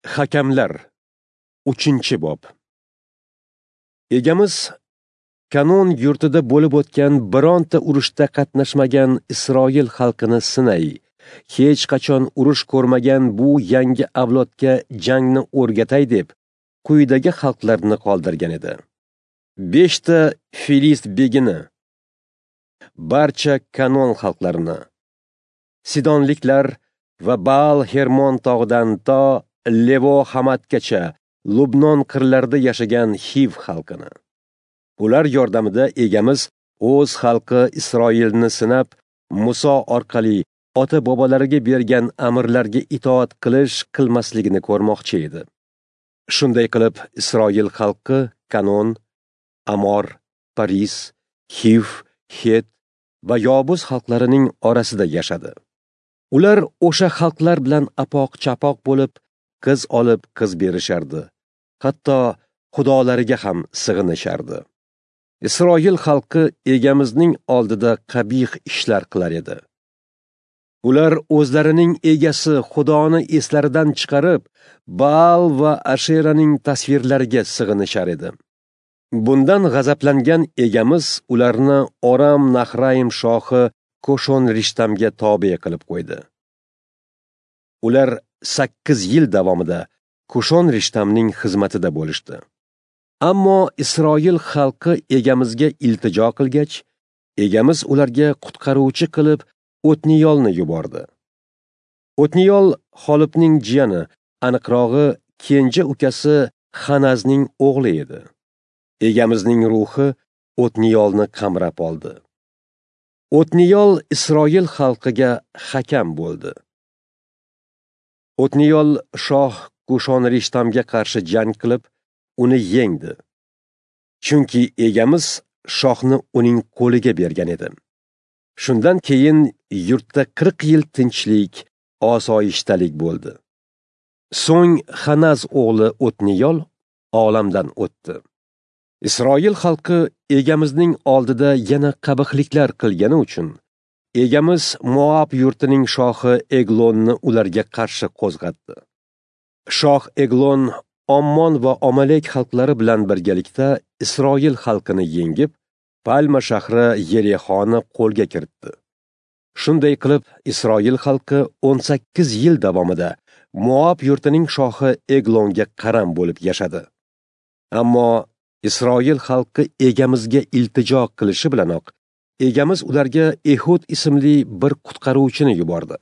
Hakamlar 3-bob. Egamiz Kanon yurtida bo'lib o'tgan bironta urushda qatnashmagan Isroil xalqini sinay, hech qachon urush ko'rmagan bu yangi avlodga jangni o'rgatay deb quyidagi xalqlarni qoldirgan edi. 5 ta Filist begini, barcha Kanon xalqlarini, Sidonliklar va Baal Hermon tog'idan to Levo Hamatgacha Lubnon qirlarida yashagan Hiv xalqini. Ular yordamida egamiz o'z xalqi Isroilni sinab, Muso orqali ota-bobolariga bergan amrlarga itoat qilish qilmasligini ko'rmoqchi edi. Shunday qilib Isroil xalqi Kanon, Amor, Paris, Hiv, Het va Yobuz xalqlarining orasida yashadi. Ular o'sha xalqlar bilan apoq-chapoq bo'lib, qiz olib qiz berishardi. Hatto xudolariga ham sig'inishardi. Isroil xalqi egamizning oldida qabih ishlar qilar edi. Ular o'zlarining egasi Xudoni eslaridan chiqarib, Baal va Asheraning tasvirlariga sig'inishar edi. Bundan g'azablangan egamiz ularni Oram Nahraim shohi Koshon Rishtamga tobe qilib qo'ydi. Ular 8 yil davomida Koshon Rishtamning xizmatida bo'lishdi. Ammo Isroil xalqi egamizga iltijo qilgach, egamiz ularga qutqaruvchi qilib O'tniyolni yubordi. O'tniyol Xolibning jiyani, aniqrog'i kenja ukasi Xanazning o'g'li edi. Egamizning ruhi O'tniyolni qamrab oldi. O'tniyol Isroil xalqiga hakam bo'ldi. O'tniyol shoh Kushon Rishtamga qarshi jang qilib, uni yengdi. Chunki egamiz shohni uning qo'liga bergan edi. Shundan keyin yurtda 40 yil tinchlik, osoyishtalik bo'ldi. So'ng Xanaz o'g'li O'tniyol olamdan o'tdi. Isroil xalqi egamizning oldida yana qabihliklar qilgani uchun egamiz Moab yurtining shohi Eglonni ularga qarshi qo'zg'atdi. Shoh Eglon Ommon va Omalek xalqlari bilan birgalikda Isroil xalqini yengib, Palma shahri Yerixoni qo'lga kiritdi. Shunday qilib Isroil xalqi 18 yil davomida Moab yurtining shohi Eglonga qaram bo'lib yashadi. Ammo Isroil xalqi egamizga iltijo qilishi bilanoq egamiz ularga Ehud ismli bir qutqaruvchini yubordi.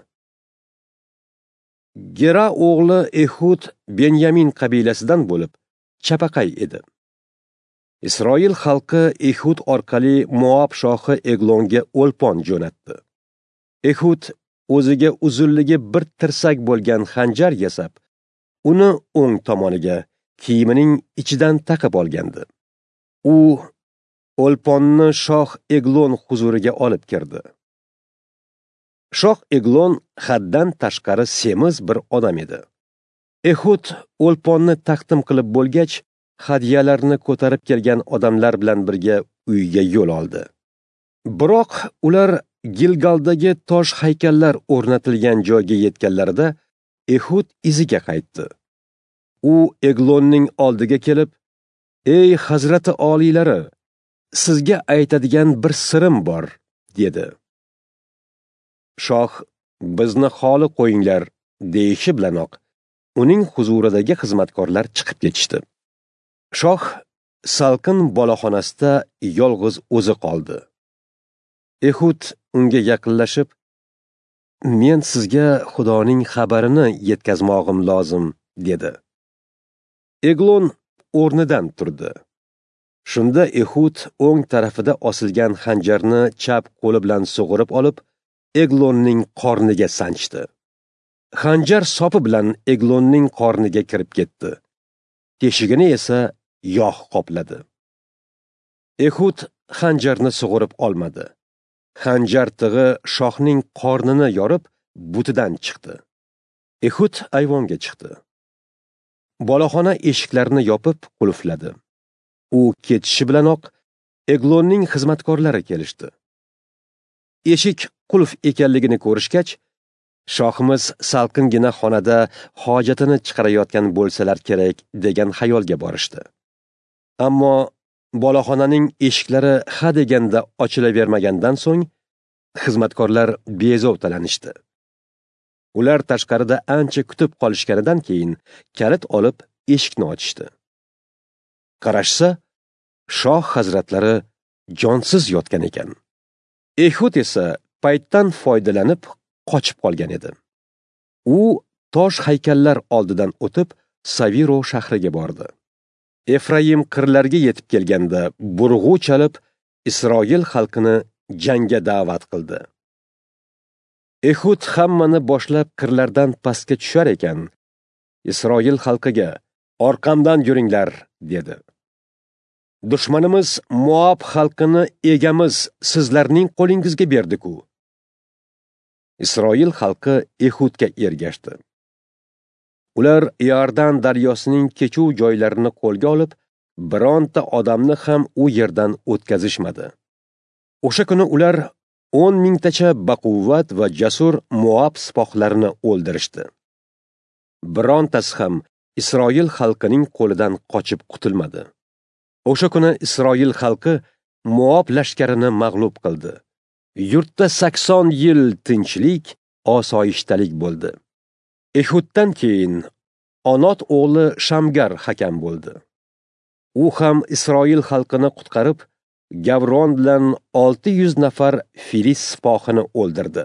Gera o'g'li Ehud Benyamin qabilasidan bo'lib, chapaqay edi. Isroil xalqi Ehud orqali Moab shohi Eglonga o'lpon jo'natdi. Ehud o'ziga uzunligi bir tirsak bo'lgan xanjar yasab, uni o'ng tomoniga kiyimining ichidan taqib olgandi. U o'lponni shoh Eglon huzuriga olib kirdi. Shoh Eglon haddan tashqari semiz bir odam edi. Ehud o'lponni taqdim qilib bo'lgach, hadyalarni ko'tarib kelgan odamlar bilan birga uyga yo'l oldi. Biroq ular Gilgaldagi tosh haykallar o'rnatilgan joyga yetganlarida Ehud iziga qaytdi. U Eglonning oldiga kelib, "Ey hazrati oliylari, sizga aytadigan bir sirim bor" dedi. Shoh, "Bizni xoli qo'yinglar" deyishi bilanoq uning huzuridagi xizmatkorlar chiqib ketishdi. Shoh salqin boloxonasida yolg'iz o'zi qoldi. Ehud unga yaqinlashib, "Men sizga Xudoning xabarini yetkazmog'im lozim" dedi. Eglon o'rnidan turdi. Shunda Ehud o'ng tarafida osilgan xanjarni chap qo'li bilan sug'urib olib, Eglonning qorniga sanchdi. Xanjar sopi bilan Eglonning qorniga kirib ketdi. Teshigini esa yog' qopladi. Ehud xanjarni sug'urib olmadi. Xanjar tig'i shohning qornini yorib, butidan chiqdi. Ehud ayvonga chiqdi. Boloxona eshiklarini yopib qulfladi. U ketishi bilanoq Eglonning xizmatkorlari kelishdi. Eshik qulf ekanligini ko'rishgach, Shohimiz salqingina xonada hojatini chiqarayotgan bo'lsalar kerak degan xayolga borishdi. Ammo boloxonaning eshiklari ha deganda ochilavermagandan so'ng xizmatkorlar bezovtalanishdi. Ular tashqarida ancha kutib qolishganidan keyin kalit olib eshikni ochishdi. Qarashsa, shoh hazratlari jonsiz yotgan ekan. Ehud esa paytdan foydalanib qochib qolgan edi. U tosh haykallar oldidan o'tib Saviro shahriga bordi. Efraim qirlarga yetib kelganda burg'u chalib Isroil xalqini jangga da'vat qildi. Ehud hammani boshlab qirlardan pastga tushar ekan, Isroil xalqiga: "Orqamdan yuringlar" dedi. Dushmanimiz Moab xalqini egamiz sizlarning qo'lingizga berdi-ku. Isroil xalqi Ehudga ergashdi. Ular Iordan daryosining kechuv joylarini qo'lga olib, bironta odamni ham u yerdan o'tkazishmadi. O'sha kuni ular 10 mingtacha baquvvat va jasur Moab sipohlarini o'ldirishdi. Birontasi ham Isroil xalqining qo'lidan qochib qutulmadi. O'sha kuni Isroil xalqi Moab lashkarini mag'lub qildi. Yurtda 80 yil tinchlik, osoyishtalik bo'ldi. Ehuddan keyin Onot o'g'li Shamgar hakam bo'ldi. U ham Isroil xalqini qutqarib, Gavron bilan 600 nafar Filist sipohini o'ldirdi.